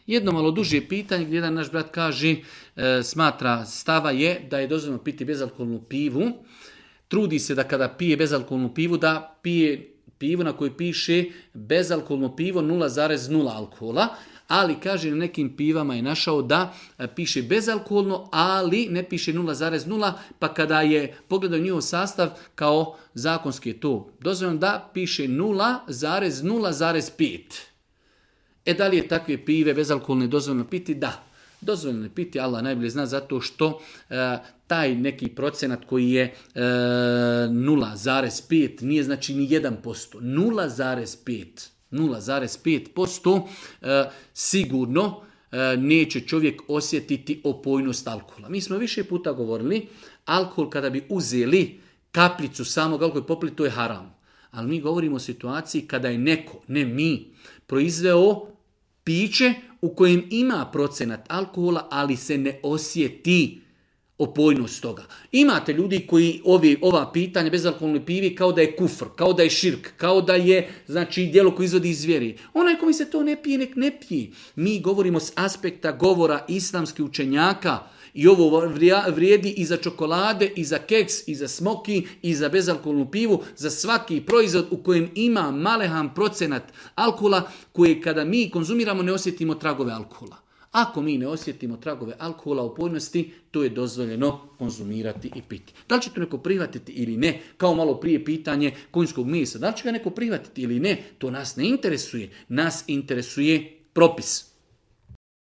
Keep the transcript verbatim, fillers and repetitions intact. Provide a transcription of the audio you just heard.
Jedno malo duže pitanje gdje jedan naš brat kaže, e, smatra stava je da je dozvoljeno piti bezalkoholnu pivu. Trudi se da kada pije bezalkoholnu pivu da pije pivu na kojoj piše bezalkoholno pivo nula zarez nula alkohola, ali kaže na nekim pivama je našao da piše bezalkoholno, ali ne piše nula zarez nula, pa kada je pogledao njihov sastav kao zakonski je to dozvoljeno da piše nula zarez nula zarez pet. E da li je takve pive bezalkoholne dozvoljeno piti? Da. Dozvoljeno je piti, Allah najbolje zna, zato što e, taj neki procenat koji je e, nula zarez pet nije znači ni jedan posto. nula zarez pet. nula zarez pet posto e, sigurno e, neće čovjek osjetiti opojnost alkohola. Mi smo više puta govorili, alkohol kada bi uzeli kapljicu samog alkohola i popili, to je haram. Ali mi govorimo o situaciji kada je neko, ne mi, proizveo piće u kojem ima procenat alkohola, ali se ne osjeti opojnost toga. Imate ljudi koji ovi, ova pitanja bezalkoholne pivi kao da je kufr, kao da je širk, kao da je znači djelo koje izvodi iz vjeri. Onaj koji se to ne pije, nek ne pije. Mi govorimo s aspekta govora islamskih učenjaka i ovo vrijedi i za čokolade, i za keks, i za smoki, i za bezalkoholnu pivu, za svaki proizvod u kojem ima malehan procenat alkohola, koje kada mi konzumiramo ne osjetimo tragove alkohola. Ako mi ne osjetimo tragove alkohola u pojnosti, to je dozvoljeno konzumirati i piti. Da li će to neko prihvatiti ili ne, kao malo prije pitanje konjskog mesa, da li će ga neko prihvatiti ili ne, to nas ne interesuje. Nas interesuje propis.